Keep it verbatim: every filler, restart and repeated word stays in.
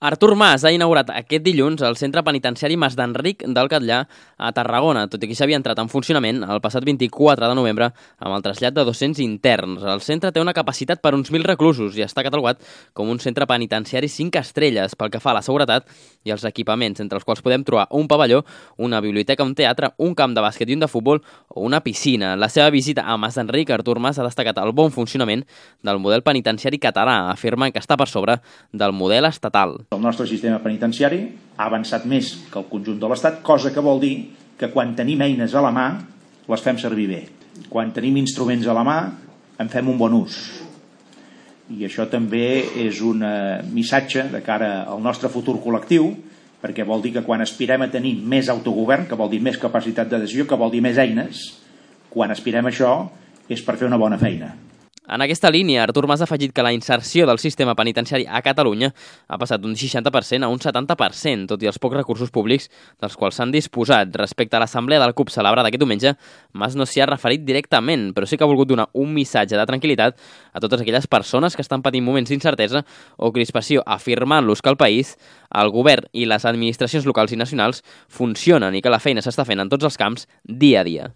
Artur Mas ha inaugurat aquest dilluns el centre penitenciari Mas d'Enric del Catllar a Tarragona, tot i que s'havia entrat en funcionament el passat vint-i-quatre de novembre amb el trasllat de dos-cents interns. El centre té una capacitat per uns mil reclusos i està catalogat com un centre penitenciari cinc estrelles pel que fa a la seguretat i els equipaments, entre els quals podem trobar un pavelló, una biblioteca, un teatre, un camp de bàsquet i un de futbol o una piscina. La seva visita a Mas d'Enric, Artur Mas ha destacat el bon funcionament del model penitenciari català, afirmant que està per sobre del model estatal. El nostre sistema penitenciari ha avançat més que el conjunt de l'Estat, cosa que vol dir que quan tenim eines a la mà les fem servir bé. Quan tenim instruments a la mà en fem un bon ús. I això també és un missatge de cara al nostre futur col·lectiu, perquè vol dir que quan aspirem a tenir més autogovern, que vol dir més capacitat de decisió, que vol dir més eines, quan aspirem a això és per fer una bona feina. En aquesta línia, Artur Mas ha afegit que la inserció del sistema penitenciari a Catalunya ha passat d'un seixanta per cent a un setanta per cent, tot i els pocs recursos públics dels quals s'han disposat. Respecte a l'assemblea del C U P celebrada aquest diumenge, Mas no s'hi ha referit directament, però sí que ha volgut donar un missatge de tranquil·litat a totes aquelles persones que estan patint moments d'incertesa o crispació, afirmant-los que el país, el govern i les administracions locals i nacionals funcionen i que la feina s'està fent en tots els camps dia a dia.